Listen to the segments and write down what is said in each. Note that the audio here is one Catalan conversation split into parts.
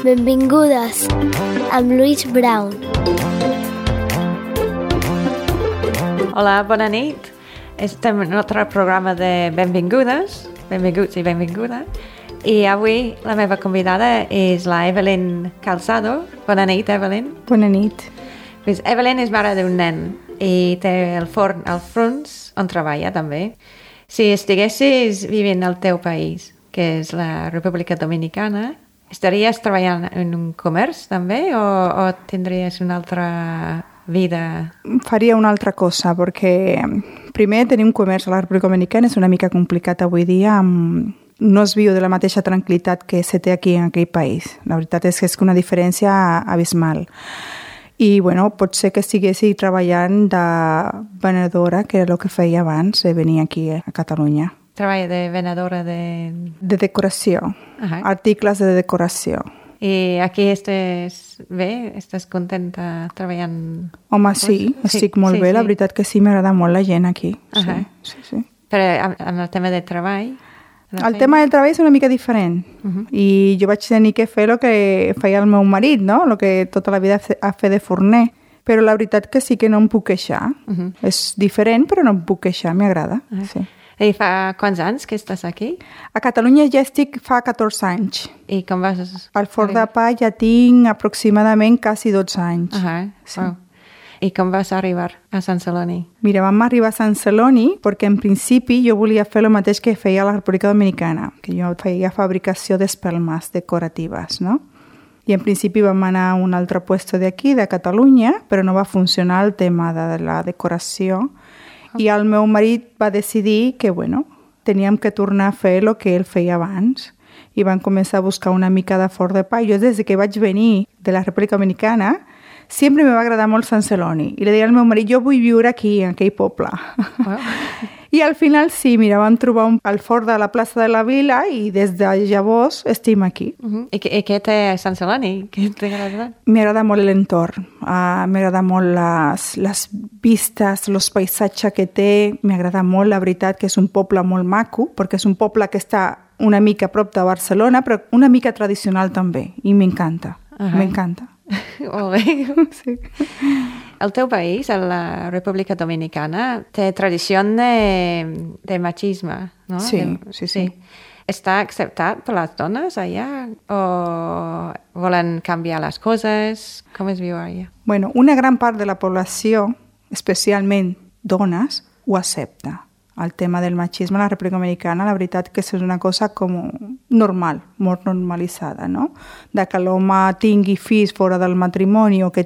Benvingudes amb Louise Brown. Hola, bona nit. Estem en un altre programa de benvingudes, benvinguts i benvinguda. I avui la meva convidada és la Evelyn Calzado. Bona nit, Evelyn. Bona nit. Pues Evelyn és mare d'un nen i té el forn al Frunz on treballa també. Si estiguessis vivint al teu país, que és la República Dominicana, estaries treballant en un comerç també o tindries una altra vida? Faria una altra cosa, perquè primer tenir un comerç a la República Dominicana és una mica complicat avui dia, no es viu de la mateixa tranquil·litat que se té aquí en aquell país. La veritat és que és una diferència abismal. I, bueno, pot ser que estiguessi treballant de venedora, que era el que feia abans de venir aquí a Catalunya. Treballa de venedora de... De decoració, articles de decoració. I aquí estàs bé? Estàs contenta treballant? Home, sí, estic molt bé. La veritat que sí, m'agrada molt la gent aquí. Sí. Però en el tema de treball? El tema del treball és una mica diferent. I jo vaig tenir que fer el que feia el meu marit, no? El que tota la vida ha fet de forner. Però la veritat que sí que no em puc queixar. És diferent, però no em puc queixar, m'agrada. Sí. I fa quants anys que estàs aquí? A Catalunya ja estic fa 14 anys. I com vas... Al forn de pa ja tinc aproximadament quasi 12 anys. Sí. Wow. I com vas arribar a Sant Celoni? Mira, vam arribar a Sant Celoni perquè en principi jo volia fer el mateix que feia a la República Dominicana, que jo feia fabricació d'espelmes decoratives, no? I en principi vam anar a un altre puesto d'aquí, de Catalunya, però no va funcionar el tema de la decoració. I el meu marit va decidir que, bueno, teníem que tornar a fer el que ell feia abans. I van començar a buscar una mica de forn de pa. Jo, des que vaig venir de la República Dominicana, sempre me va agradar molt Sant Celoni. I li deia al meu marit, jo vull viure aquí, en aquell poble. Wow. I al final sí, mira, vam trobar el forn de la plaça de la Vila i des de llavors estem aquí. I què té Sant Celoni? Què t'agrada? M'agrada molt l'entorn, m'agrada molt les vistes, els paisatges que té, m'agrada molt, la veritat, que és un poble molt maco, perquè és un poble que està una mica a prop de Barcelona, però una mica tradicional també, i m'encanta, m'encanta. Molt bé. Sí. El teu país, la República Dominicana, té tradició de machisme, no? Sí. Està acceptat per les dones allà o volen canviar les coses? Com es viu allà? Bueno, una gran part de la població, especialment dones, ho accepta. El tema del machisme a la República Dominicana, la veritat que és una cosa com normal, molt normalitzada, no? De que l'home tingui fills fora del matrimoni o que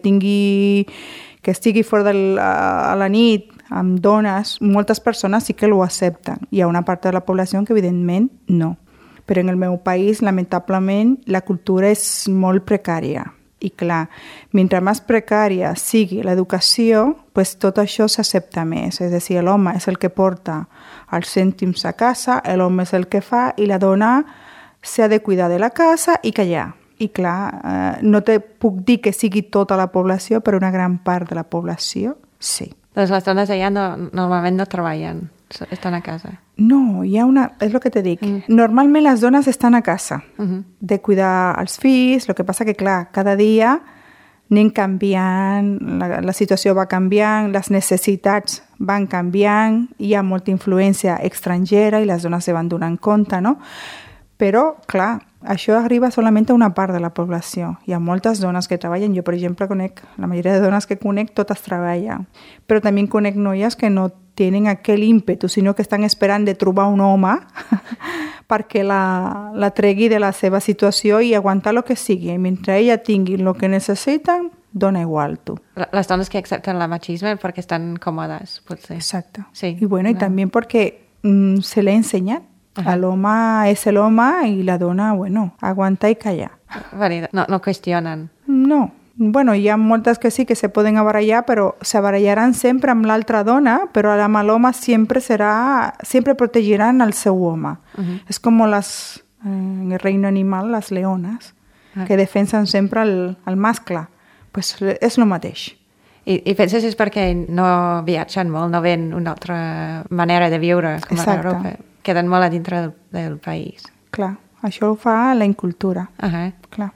estigui fora a la nit amb dones, moltes persones sí que ho accepten. Hi ha una part de la població que evidentment no. Però en el meu país, lamentablement, la cultura és molt precària. I clar, mentre més precària sigui l'educació, pues tot això s'accepta més. És a dir, l'home és el que porta els cèntims a casa, l'home és el que fa i la dona s'ha de cuidar de la casa i callar. I clar, no te puc dir que sigui tota la població, però una gran part de la població, sí. Doncs les dones allà normalment no treballen, estan a casa. No, hi ha és el que te dic. Normalment les dones estan a casa, de cuidar els fills, el que passa que, clar, cada dia anem canviant, la situació va canviant, les necessitats van canviant, hi ha molta influència estrangera i les dones se van donant compte, no? Però, clar, això arriba solament a una part de la població. Hi ha moltes dones que treballen. Jo, per exemple, la majoria de dones que conec, totes treballen. Però també conec noies que no tenen aquell ímpetu, sinó que estan esperant de trobar un home perquè la tregui de la seva situació i aguantar el que sigui. I mentre ella tingui el que necessiten, dona igual, tu. Les dones que accepten el machisme perquè estan còmodes, potser. Exacte. Sí. I bueno, i també perquè se l'ha ensenyat. L'home és l'home i la dona, bueno, aguantar i callar. No qüestionen. No. Bueno, hi ha moltes que sí que se poden barallar, però se barallaran sempre amb l'altra dona, però amb l'home sempre protegiran el seu home. És com en el reino animal, les leones, que defensen sempre el mascle. Pues és el mateix. I penses és perquè no viatgen molt, no ven una altra manera de viure com a Europa? queden molt a dintre del país. Clar, això ho fa la incultura. Uh-huh. Clar.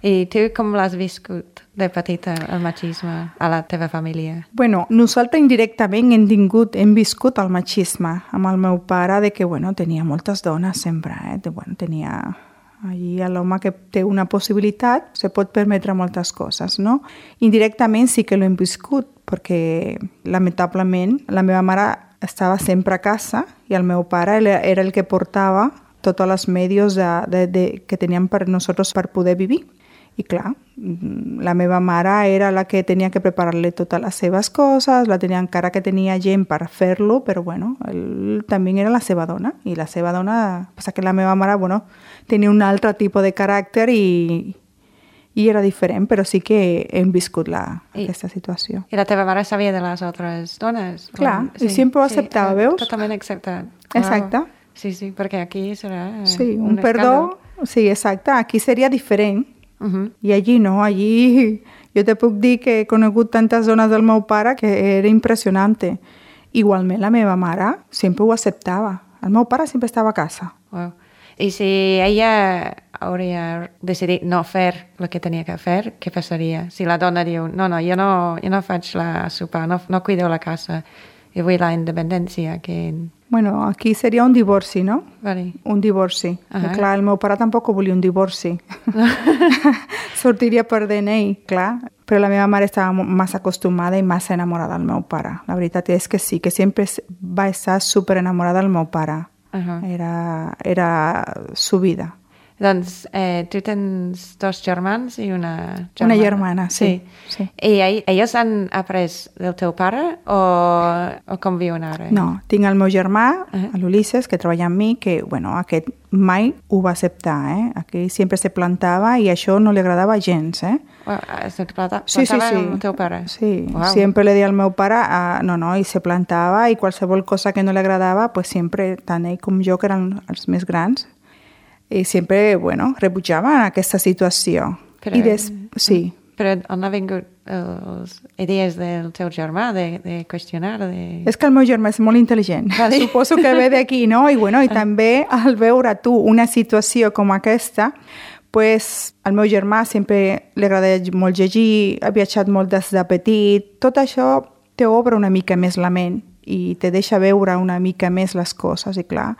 I tu com l'has viscut de petita, el machisme, a la teva família? Bueno, nosaltres indirectament hem viscut el machisme amb el meu pare, de que, bueno, tenia moltes dones sempre, tenia allí l'home que té una possibilitat, se pot permetre moltes coses, no? Indirectament sí que l'hem viscut, perquè lamentablement la meva mare estava sempre a casa i el meu pare era el que portava tots els medios que teníem per nosaltres per poder vivir. I clar, la meva mare era la que tenia que preparar-li totes les seves coses, encara que tenia gent per fer-lo, però bueno, ell també era la seva dona, i la seva dona, passa que la meva mare, bueno, tenia un altre tipus de caràcter i era diferent, però sí que hem viscut aquesta situació. I la teva mare sabia de les altres dones? Clar, i sempre ho acceptava, veus? Totalment acceptat. Exacte. Sí, perquè aquí serà sí, un perdó. Sí, exacte, aquí seria diferent. I allí no, allí jo te puc dir que he conegut tantes dones del meu pare que era impressionant. Igualment la meva mare sempre ho acceptava. El meu pare sempre estava a casa. Wow. I si ella hauria decidit no fer el que tenia que fer, què passaria? Si la dona diu, no, jo no faig la sopa, no cuido la casa, jo vull la independència, que... Bueno, aquí seria un divorci, no? Vale. Un divorci. Clar, el meu pare tampoc volia un divorci. Sortiria perdent ell, clar. Però la meva mare estava massa acostumada i massa enamorada del meu pare. La veritat és que sí, que sempre va estar super enamorada del meu pare. Era su vida. Doncs tu tens 2 germans i una germana. Una germana, sí. I ells han après del teu pare o com viuen ara? No, tinc el meu germà, l'Ulisses, que treballa amb mi, que, bueno, aquest mai ho va acceptar, Aquí sempre se plantava i això no li agradava gens, Se plantava sí. amb el teu pare? Sí, sempre li deia al meu pare, no, i se plantava i qualsevol cosa que no li agradava, pues sempre, tant ell com jo, que eren els més grans, i sempre, bueno, rebutjaven aquesta situació. Sí. Però on ha vingut les idees del teu germà de qüestionar? És que el meu germà és molt intel·ligent. Vale. Suposo que ve d'aquí, no? I, bueno, i també al veure tu una situació com aquesta, pues, al meu germà sempre li agrada molt llegir, ha viatjat molt des de petit. Tot això te obre una mica més la ment i te deixa veure una mica més les coses, i clar,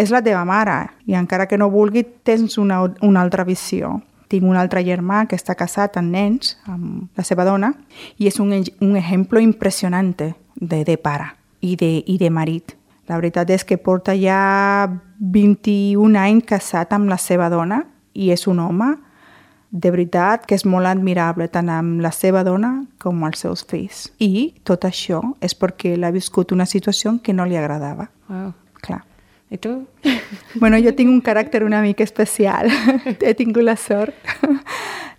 és la teva mare, i encara que no vulgui, tens una altra visió. Tinc un altre germà que està casat amb nens, amb la seva dona, i és un exemple impressionant de pare i de marit. La veritat és que porta ja 21 anys casat amb la seva dona i és un home, de veritat, que és molt admirable tant amb la seva dona com els seus fills. I tot això és perquè l'ha viscut una situació que no li agradava. Wow. Clar. I tu? Bueno, jo tinc un caràcter una mica especial. He tingut la sort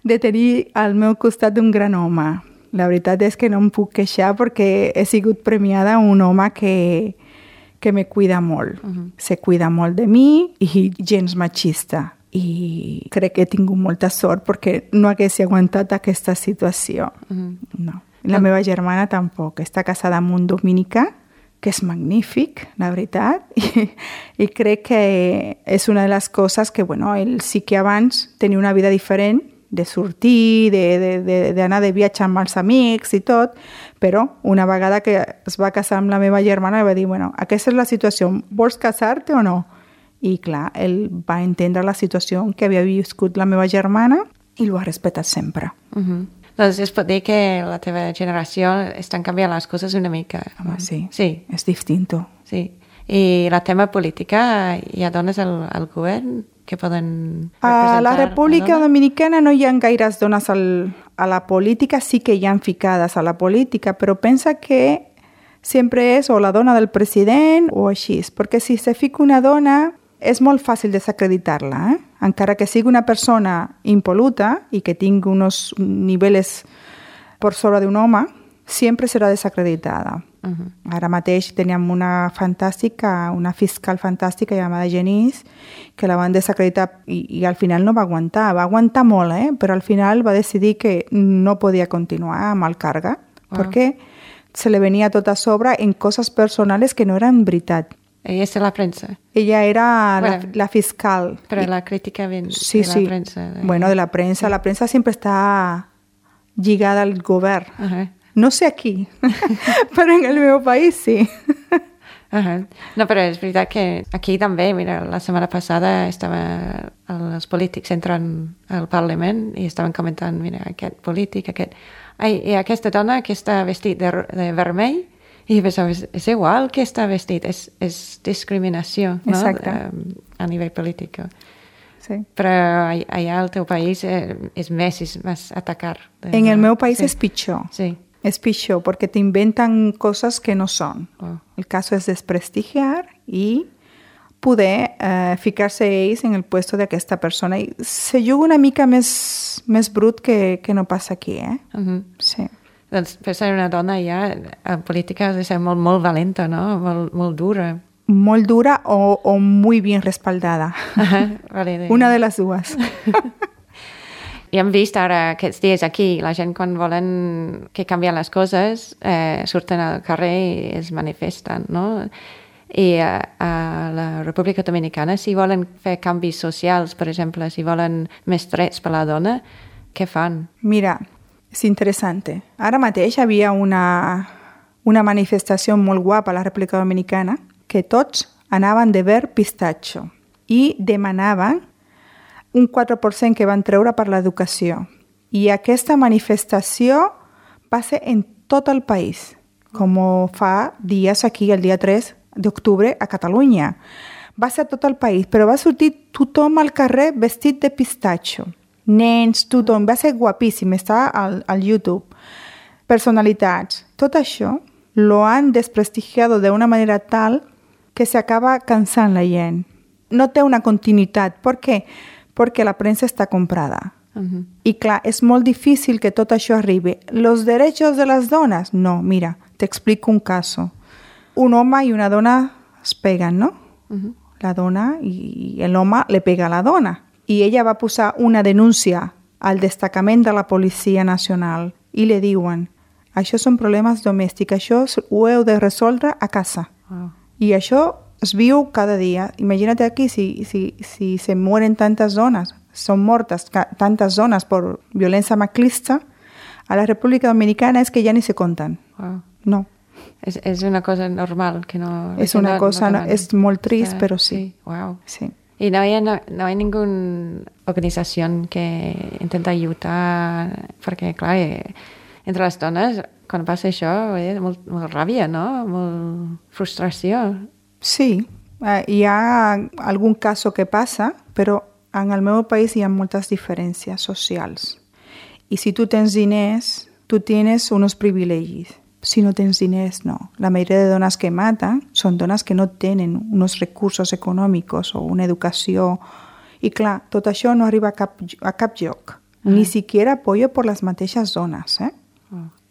de tenir al meu costat un gran home. La veritat és que no em puc queixar perquè he sigut premiada un home que me cuida molt. Se cuida molt de mi i gens machista. I crec que he tingut molta sort perquè no hagués aguantat aquesta situació. No. La meva germana tampoc. Està casada amb un dominicà, que és magnífic, la veritat, i crec que és una de les coses que, bueno, ell sí que abans tenia una vida diferent, de sortir, d'anar de viatge amb els amics i tot, però una vegada que es va casar amb la meva germana va dir, bueno, aquesta és la situació, vols casar-te o no? I clar, ell va entendre la situació que havia viscut la meva germana i ho ha respectat sempre. Doncs es pot dir que la teva generació estan canviant les coses una mica. Home, sí. Sí. És distinto. Sí. I la tema política, hi ha dones al govern que poden representar... A la República Dominicana no hi ha gaires dones a la política, sí que hi ha ficades a la política, però pensa que sempre és o la dona del president o així, perquè si se fica una dona és molt fàcil desacreditar-la, encara que sigui una persona impoluta i que tingui uns nivells per sobre d'un home, sempre serà desacreditada. Ara mateix teníem una fiscal fantàstica llamada Genís, que la van desacreditar i al final no va aguantar. Va aguantar molt, però al final va decidir que no podia continuar amb el càrrec, perquè se li venia tot a sobre en coses personals que no eren veritat. Ella és de la premsa. Ella era Bueno, la fiscal. Però la crítica ven Sí, de sí. la premsa. Bueno, de la prensa. La prensa siempre está lligada al govern. No sé aquí, però en el meu país sí. No, però és veritat que aquí també, mira, la setmana passada els polítics entren al Parlament i estaven comentant, mira, aquest polític, i aquesta dona que està vestit de vermell, i pensava, és igual que està vestit, és discriminació, no? Exacte. A nivell polític. Sí. Però allà al teu país és més atacar. En el meu país sí. és pitjor. Sí. Es pitjor porque te inventan cosas que no son. Oh. El caso es desprestigiar y poder ficar-se ells en el puesto d'aquesta persona. I se juga una mica més brut que no passa aquí, eh? Sí. Doncs per ser una dona ja en política ha de ser molt, molt valenta, no? Molt dura. Molt dura o muy bien respaldada. Vale, Una de les dues. I hem vist ara aquests dies aquí, la gent quan volen que canvien les coses surten al carrer i es manifesten, no? I a la República Dominicana, si volen fer canvis socials, per exemple, si volen més drets per la dona, què fan? Mira, és interessant. Ara mateix havia una manifestació molt guapa a la República Dominicana que tots anaven de verd pistatxo i demanaven un 4% que van treure per l'educació. I aquesta manifestació va ser en tot el país, com fa dies aquí, el dia 3 d'octubre, a Catalunya. Va ser a tot el país, però va sortir tothom al carrer vestit de pistatxo. Nens, tothom. Va ser guapíssim, està al YouTube. Personalitats. Tot això lo han desprestigiado de una manera tal que se acaba cansant la gent. No té una continuïtat. Per què? Perquè la premsa està comprada. I clar, és molt difícil que tot això arribi. ¿Los derechos de las donas? No, mira, te explico un caso. Un home i una dona es peguen, ¿no? La dona i l'home le pega a la dona. I ella va posar una denúncia al destacament de la Policia Nacional i li diuen, això són problemes domèstics, això ho heu de resoldre a casa. I això es viu cada dia. Imagina't aquí si se mueren tantes dones, son mortes tantas dones per violència masclista, a la República Dominicana és que ja ni se compten. No. És una cosa normal que no... És una cosa, és molt trist, però sí. Sí. Wow. Sí. Y no hay ninguna organización que intenta ayudar, perquè, clar, entre les dones, quan passa això, molt ràbia, no? Molt frustració. Sí, hi ha algun cas que passa, però en el meu país hi ha moltes diferències socials. I si tu tens diners, tu tienes unos privilegis. Si no tens diners, no. La majoria de dones que maten són dones que no tenen uns recursos econòmics o una educació. I clar, tot això no arriba a cap lloc. Ni siquiera apoyo por las mateixes dones.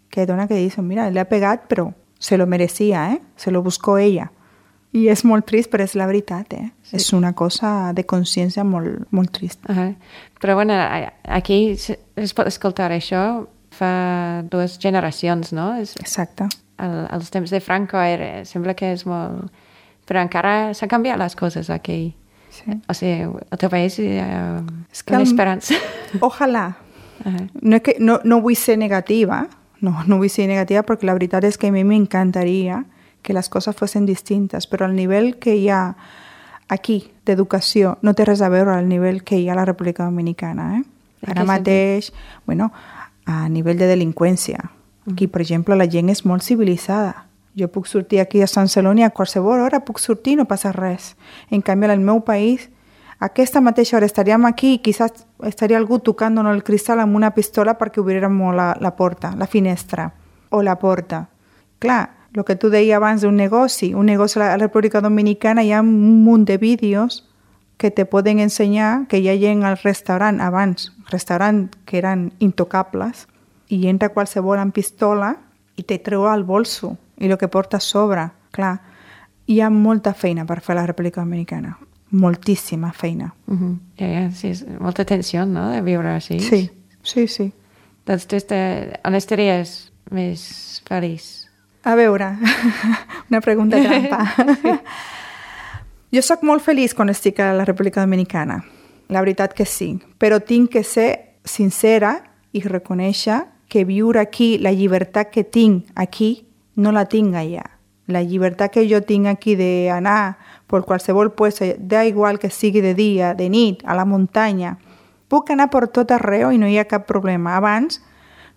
Que hay dones que dicen, mira, le ha pegat, però se lo merecía, se lo buscó ella. I és molt trist, però és la veritat, Sí. És una cosa de consciència molt, molt trist. Però bueno, aquí es pot escoltar això fa 2 generacions, no? Exacte. Els temps de Franco sembla que és molt... Però encara s'han canviat les coses aquí. Sí. O sigui, al teu país hi ha una esperança. Ojalà. No vull ser negativa, no vull ser negativa perquè la veritat és que a mi m'encantaria que les coses fossin distintes, però el nivell que hi ha aquí d'educació no té res a veure al nivell que hi ha a la República Dominicana. Ara mateix, bueno, a nivell de delinqüència. Aquí, per exemple, la gent és molt civilitzada. Jo puc sortir aquí a Sant Celoni a qualsevol hora, puc sortir i no passa res. En canvi, al meu país, a aquesta mateixa hora estaríem aquí i quizás estaria algú tocant-nos el cristal amb una pistola perquè obriérem la porta, la finestra o la porta. Clar, el que tu deies abans d'un negoci a la República Dominicana, hi ha un munt de vídeos que te poden ensenyar que hi ha gent al restaurant abans, restaurants que eren intocables, i entra qualsevol amb pistola i te treu al bolso i el que porta a sobre. Clar, hi ha molta feina per fer a la República Dominicana. Moltíssima feina. Sí, és molta tensió, no?, de viure així. Sí. Doncs tu on estaries més feliç? A veure, una pregunta trampa. Jo sóc molt feliç quan estic a la República Dominicana. La veritat que sí. Però tinc que ser sincera i reconèixer que viure aquí, la llibertat que tinc aquí, no la tinc allà. La llibertat que jo tinc aquí d'anar per qualsevol puesto, da igual que sigui de dia, de nit, a la muntanya, puc anar per tot arreu i no hi ha cap problema. Abans,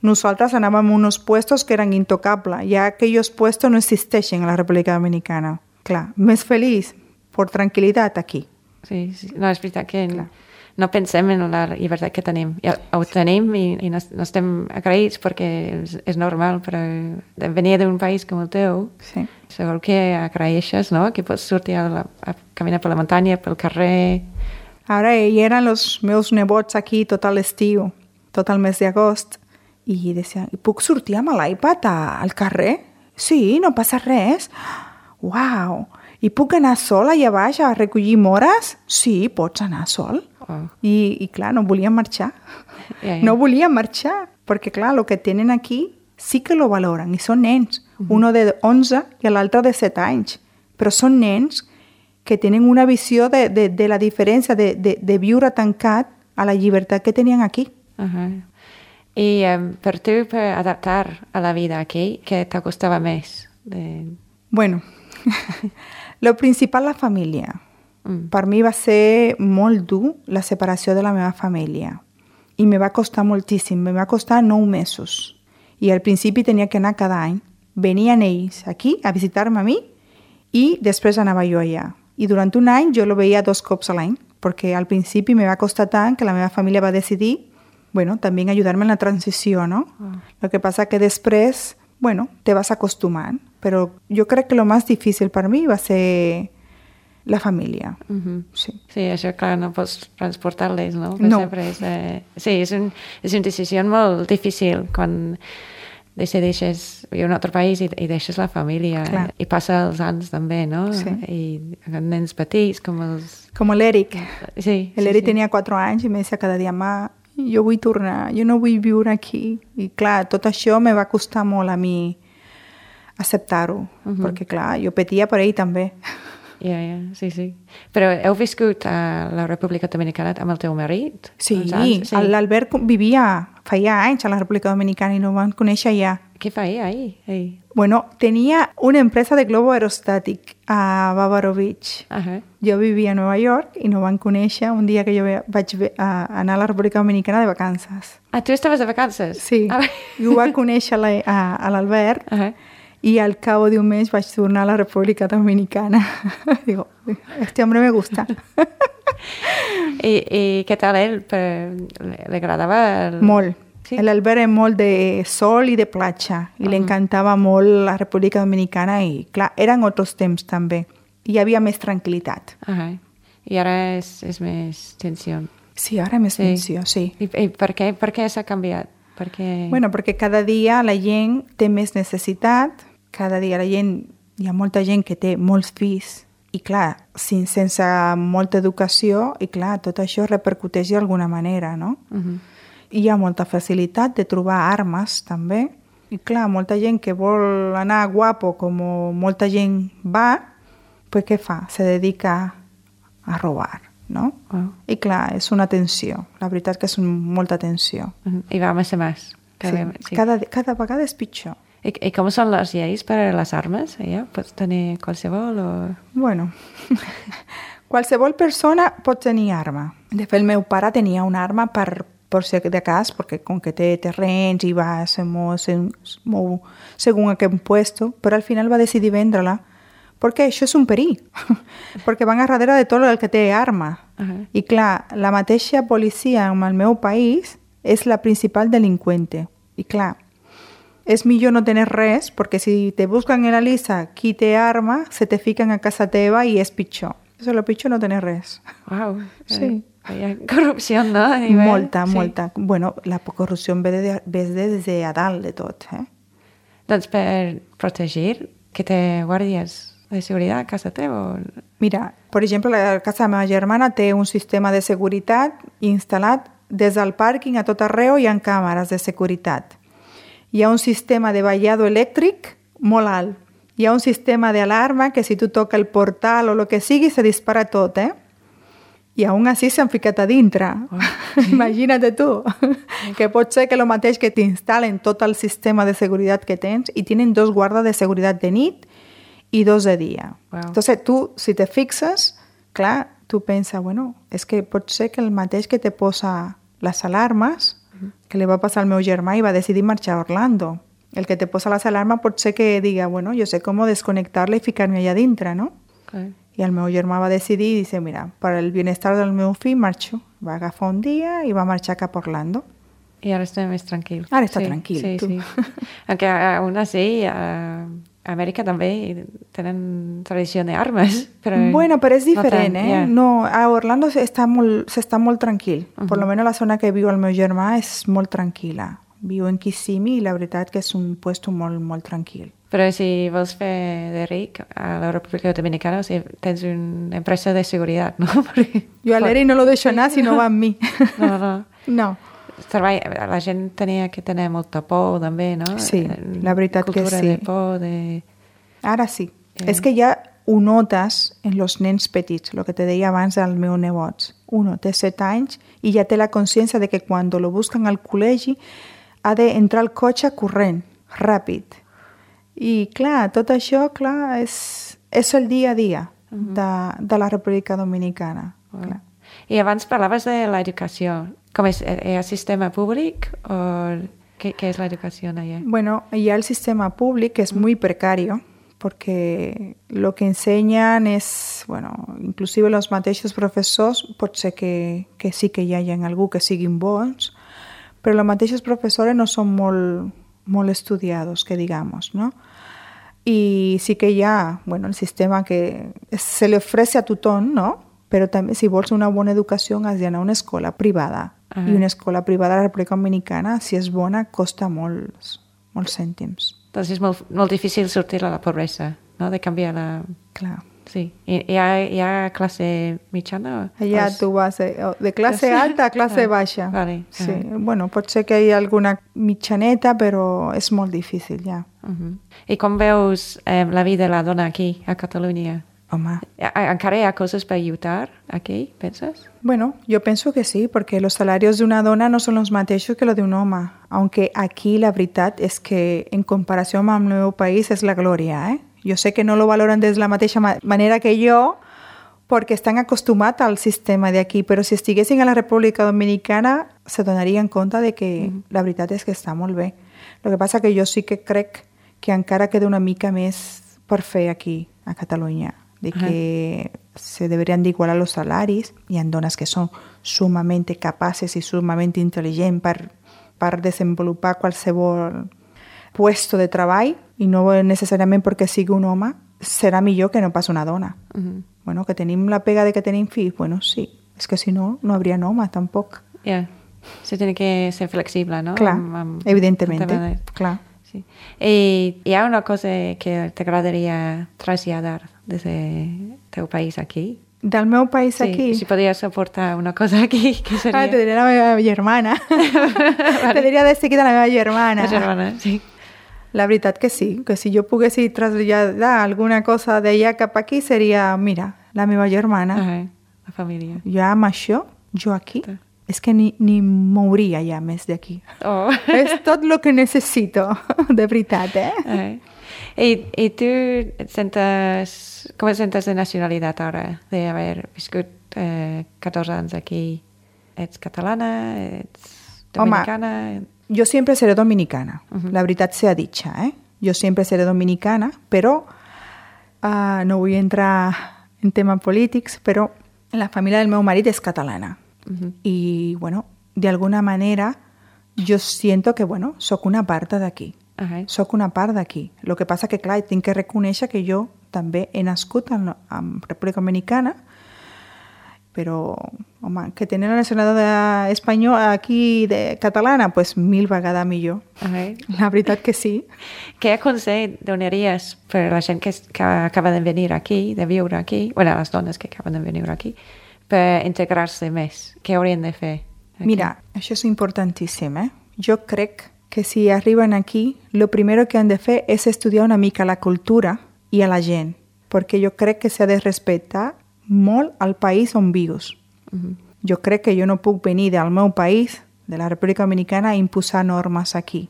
nosaltres anàvem a uns puestos que eren intocables. Ja aquells puestos no existeixen a la República Dominicana. Clar, més feliç, per tranquil·litat aquí. Sí, sí. No, és veritat que no pensem en la llibertat que tenim. Ja ho tenim i no estem agraïts perquè és normal, però venir d'un país com el teu, Sí. segur que agraeixes, no? Que pots sortir a caminar per la muntanya, pel carrer. Ara hi eren els meus nebots aquí tot l'estiu, tot el mes d'agost, i deia, puc sortir amb l'iPad al carrer? Sí, no passa res. Uau! I puc anar sol allà baix a recollir mores? Sí, pots anar sol. Oh. I clar, no volien marxar. Ja. No volien marxar, perquè clar, el que tenen aquí sí que lo valoren, i són nens. Uno de 11 i l'altre de 7 anys. Però són nens que tenen una visió de la diferència de viure tancat a la llibertat que tenien aquí. I per tu, per adaptar a la vida aquí, què t'acostava més? Bueno, lo principal, la família. Per mi va ser molt dur la separació de la meva família. I me va costar moltíssim, me va costar 9 mesos. I al principi tenia que anar cada any. Venien ells aquí a visitar-me a mi i després anava jo allà. I durant un any jo lo veia 2 cops a l'any, perquè al principi me va costar tant que la meva família va decidir, bueno, també ayudarme en la transició, no? Lo que passa que després, bueno, te vas acostumant. Però jo crec que lo més difícil per mi va ser la família. Sí. Sí, això, clar, no pots transportar-les, no? No. Sempre sí, és una decisió molt difícil quan decideixes viure en un altre país i deixes la família. Clar. I passa els anys també, no? Sí. I nens petits, com els... Com l'Eric. Sí, L'Eric sí. tenia 4 anys i me deia cada dia, ma, jo vull tornar, jo no vull viure aquí. I clar, tot això me va costar molt a mi acceptar-ho, perquè clar, jo patia per ell també. Ja, sí, sí. Però heu viscut a la República Dominicana amb el teu marit? Sí, Uns anys? l'Albert feia anys a la República Dominicana i no van conèixer allà. Què feia ahir? Bueno, tenia una empresa de globo aerostàtic a Bávaro Beach. Jo vivia a Nova York i no van conèixer un dia que jo vaig anar a la República Dominicana de vacances. Ah, tu estaves de vacances? Sí, i ho va conèixer a l'Albert y al cabo de un mes vaig tornar a la República Dominicana. Digo, este hombre me gusta. I què tal ell? Li agradava? Molt. Sí? L'Albert és molt de sol i de platja i li encantava molt la República Dominicana i, clar, eren altres temps també. Hi havia més tranquil·litat. I ara és més tensió. Sí, ara més tensió, sí. I per què s'ha canviat? Bueno, perquè cada dia la gent té més necessitat, cada dia hi ha molta gent que té molts fills i, clar, sense molta educació i, clar, tot això repercuteix d'alguna manera, no? Hi ha molta facilitat de trobar armes, també. I, clar, molta gent que vol anar guapo, com molta gent va, pues què fa? Se dedica a robar, no? I, clar, és una tensió. La veritat que és molta tensió. I va més a més. Sí. Cada vegada és pitjor. I com són les lleis per a les armes? Pots tenir qualsevol o...? Bueno, qualsevol persona pot tenir arma. De fet, el meu pare tenia una arma per si de cas, perquè com que té terrenys i va se mou según a quin puesto, però al final va decidir vendre-la perquè això és un perill, perquè van a darrere de tot el que té arma. I clar, la mateixa policia en el meu país és la principal delinqüente. I clar, és millor no tenir res, perquè si te busquen en la lista qui té arma, se te fiquen a casa teva i és pitjor. És el pitjor no tenir res. Uau, sí. Hi ha corrupció, no? Molta. Bueno, la corrupció ve des de a dalt de tot. Doncs per protegir, que té guàrdies de seguretat a casa teva? Mira, per exemple, la casa de la meva germana té un sistema de seguretat instal·lat des del pàrquing a tot arreu, hi ha càmeres de seguretat. Hi ha un sistema de ballado elèctric molt alt Hi ha un sistema d'alarma que si tu toca el portal o el que sigui, se dispara tot, I aún així s'han ficat a dintre. Oh. Imagina't tu, que pot ser que el mateix que t'instal·len tot el sistema de seguretat que tens i tenen 2 guardes de seguretat de nit i 2 de dia. Wow. Entonces, tu, si te fixes, clar, tu penses, bueno, és que pot ser que el mateix que te posa les alarmes, que li va passar al meu germà i va decidir marxar a Orlando. El que te posa les alarmes pot ser que diga, bueno, jo sé com desconnectar-la i ficar-me allà dintre, no? Okay. I el meu germà va decidir i dice, mira, per al bienestar del meu fill marxo. Va agafar un dia i va marxar cap a Orlando. I ara està més tranquil. Ara està tranquil, sí, tu. Sí. Aunque aún así, a Amèrica també tenen tradició d'armes. Bueno, però és diferent, no tant, yeah. No, a Orlando s'està molt tranquil. Per lo menos la zona que viu el meu germà és molt tranquil·la. Viu en Kissimmee i la veritat que és un puesto molt, molt tranquil. Però si vols fer de ric a la República Dominicana, o sigui, tens una empresa de seguretat, no? Perquè... Jo a l'Eri no lo deixo anar si no va amb mi. No. No. La gent tenia que tenir molta por, també, no? Sí, la veritat que sí. Cultura de por, de... Ara sí. És que ja ho notes en els nens petits, el que te deia abans del meu nebot. Uno té 7 anys i ja té la consciència de que quan lo busquen al col·legi ha d'entrar al cotxe corrent, ràpid. I clar, tot això és el dia a dia de la República Dominicana. Clar. I abans parlaves de l'educació. Com és? Hi ha sistema públic o què és l'educació allà? Bueno, hi ha el sistema públic que és muy precario porque lo que enseñan es, bueno, inclusive los mateixos professors pot ser que sí que hi hagi algú que siguin bons, però els mateixos professors no són molt estudiados, que digamos, ¿no? Y sí que hi ha, bueno, el sistema que se le ofrece a tothom, ¿no? Però també, si vols una bona educació, has d'anar a una escola privada. I una escola privada a la República Dominicana, si és bona, costa molts cèntims. Doncs és molt difícil sortir de la pobresa, no? De canviar la... Clar. Sí. Hi ha classe mitjana? Allà tu vas de classe alta a classe baixa. Vale. Sí. Bueno, pot ser que hi ha alguna mitjaneta, però és molt difícil, ja. I com veus la vida de la dona aquí, a Catalunya? Home. ¿Encara hi ha cosas para ayudar aquí, piensas? Bueno, yo pienso que sí, porque los salarios de una dona no son los mateixos que los de un home. Aunque aquí la veritat és que en comparació amb el meu país és la glòria, Jo sé que no lo valoren de la mateixa manera que jo, perquè estan acostumats al sistema d'aquí, però si estiguessin a la República Dominicana se donarien compte de que la veritat és que està molt bé. El que passa que jo sí que crec que encara queda una mica més per fer aquí, a Catalunya, de que se deberían de igualar los salaris. Hi ha dones que són sumamente capaces i sumamente intel·ligents per desenvolupar qualsevol puesto de treball i no necessàriament perquè sigui un home serà millor que no pas una dona. Bueno, que tenim la pega de que tenim fills, bueno, sí. És que si no, no habría home tampoc. Ja, se tiene que ser flexible, no? Clar, evidentemente, clar. Sí. I hi ha una cosa que t'agradaria traslladar des del teu país aquí? Del meu país aquí? Si podries aportar una cosa aquí, què seria? Te diria la meva germana. Vale. Te diria de seguida la meva germana. La germana, sí. La veritat que sí, que si jo pogués traslladar alguna cosa d'allà cap aquí seria, mira, la meva germana. La família. Jo amb això, jo aquí, és que ni mouria ja més d'aquí. Oh. És tot el que necessito, de veritat, I tu com et sentes de nacionalitat ara, d'haver viscut 14 anys aquí? Ets catalana? Ets dominicana? Home, jo sempre seré dominicana, la veritat sea dicha, Jo sempre seré dominicana, però no vull entrar en temes polítics, però la família del meu marit és catalana. I, bueno, de alguna manera jo siento que, bueno, soc una part d'aquí. Soc una part d'aquí. El que passa que, clar, tinc que reconèixer que jo també he nascut en República Dominicana, però, home, que tenir la nacionalitat espanyola aquí de catalana, pues 1000 vegades millor. La veritat que sí. Què consell donaries per la gent que acaba de venir aquí, de viure aquí, bueno, les dones que acaben de venir aquí, per integrar-se més? Què haurien de fer? Aquí? Mira, això és importantíssim, Jo crec que si arriben aquí, lo primero que han de fer és estudiar una mica la cultura i a la gent, perquè jo crec que s'ha de respectar molt el país on vius. Jo crec que jo no puc venir del meu país, de la República Dominicana, a imposar normes aquí.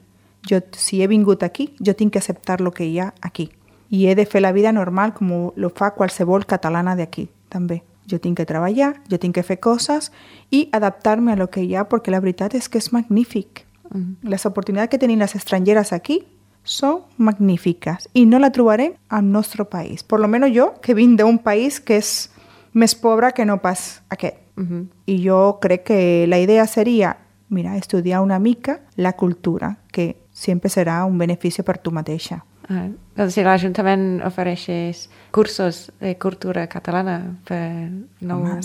Si he vingut aquí, jo tinc que acceptar el que hi ha aquí. I he de fer la vida normal com lo fa qualsevol catalana d'aquí, també. Jo tinc que treballar, jo tinc que fer coses i adaptar-me a lo que hi ha, perquè la veritat és que és magnífic. Les oportunitats que tenim les estrangeres aquí són magnífiques i no la trobarem al nostre país. Por lo menos jo, que vinc d'un país que és més pobre que no pas aquest. I jo crec que la idea seria, mira, estudiar una mica la cultura, que sempre serà un benefici per tu mateixa. Doncs si l'Ajuntament ofereixés cursos de cultura catalana per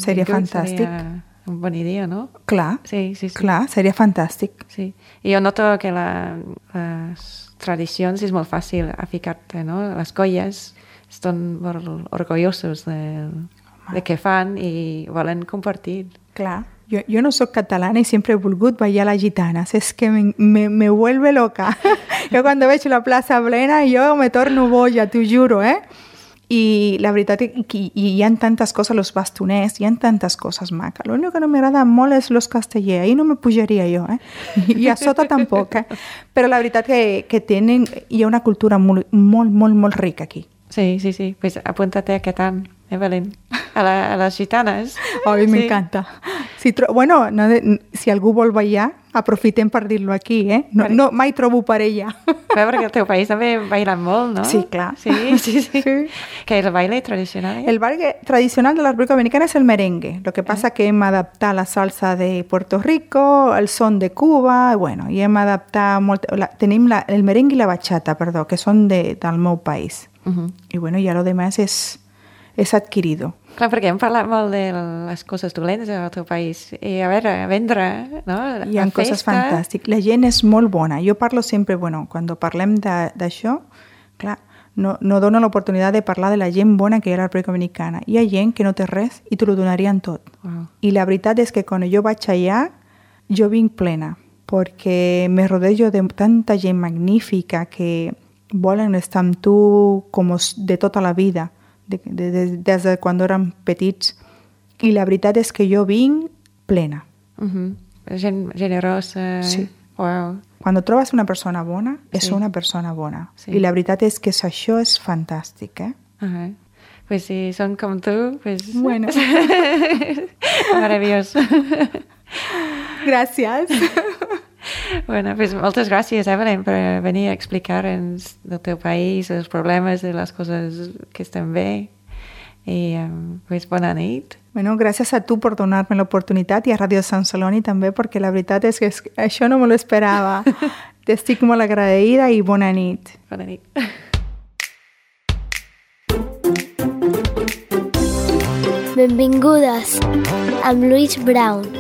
seria fantàstic. Seria una bona idea, no? Clar, sí. Clar, seria fantàstic. Sí. I jo noto que les tradicions és molt fàcil a ficar-te, no? Les colles estan molt orgullosos de què fan i volen compartir. Clar. Jo no soc catalana y siempre he volgut ballar las gitanas. Es que me vuelve loca. Yo cuando veig la plaça plena, yo me torno boja, t'ho juro, eh? I la veritat és que hi ha tantes coses, los bastoners, hi ha tantes coses maques. L'únic que no m'agrada molt és los castellers. Ahí no me pujaria jo, eh? I a sota tampoc, eh? Però la veritat que hi ha una cultura molt rica aquí. Sí. Pues apúntate aquest any, Evelyn, a les gitanes. Ay, me encanta. Si algú vol ballar, aprofitem per dir-lo aquí, eh? No, mai trobo parella. Clar, perquè al teu país també bailen molt, no? Sí, clar. Sí. Que és el baile tradicional? El baile tradicional de la República Dominicana es el merengue. Lo que pasa que hem adaptat la salsa de Puerto Rico, el son de Cuba, i hem adaptat molt... Tenim el merengue i la bachata, perdó, que són del meu país. I ja lo demás és adquirido. Clar, perquè hem parlat molt de les coses dolentes al teu país. I a veure, a vendre, no? Hi ha coses fantàstiques. La gent és molt bona. Jo parlo sempre, quan parlem d'això, clar, no dono l'oportunitat de parlar de la gent bona que hi ha a la República Dominicana. Hi ha gent que no té res i te lo donarien tot. Wow. I la veritat és que quan jo vaig allà, jo vinc plena, perquè me rodejo de tanta gent magnífica que volen estar amb tu com de tota la vida, des de quan érem petits. I la veritat és que jo vinc plena. Gent generosa. Sí. Wow. Quan trobes una persona bona, és una persona bona. Sí. I la veritat és que això és fantàstic, eh? Pues si són com tu, pues... Bueno. Meravellós. Gràcies. Bueno, pues moltes gràcies, Evelyn, per venir a explicar-nos del teu país, els problemes, de les coses que estan bé. I pues bona nit. Bueno, gràcies a tu per donar-me l'oportunitat i a Ràdio Sant Celoni també, perquè la veritat és que això no me lo esperava. T'estic molt agraïda i bona nit. Bona nit. Benvingudes amb Louise Brown.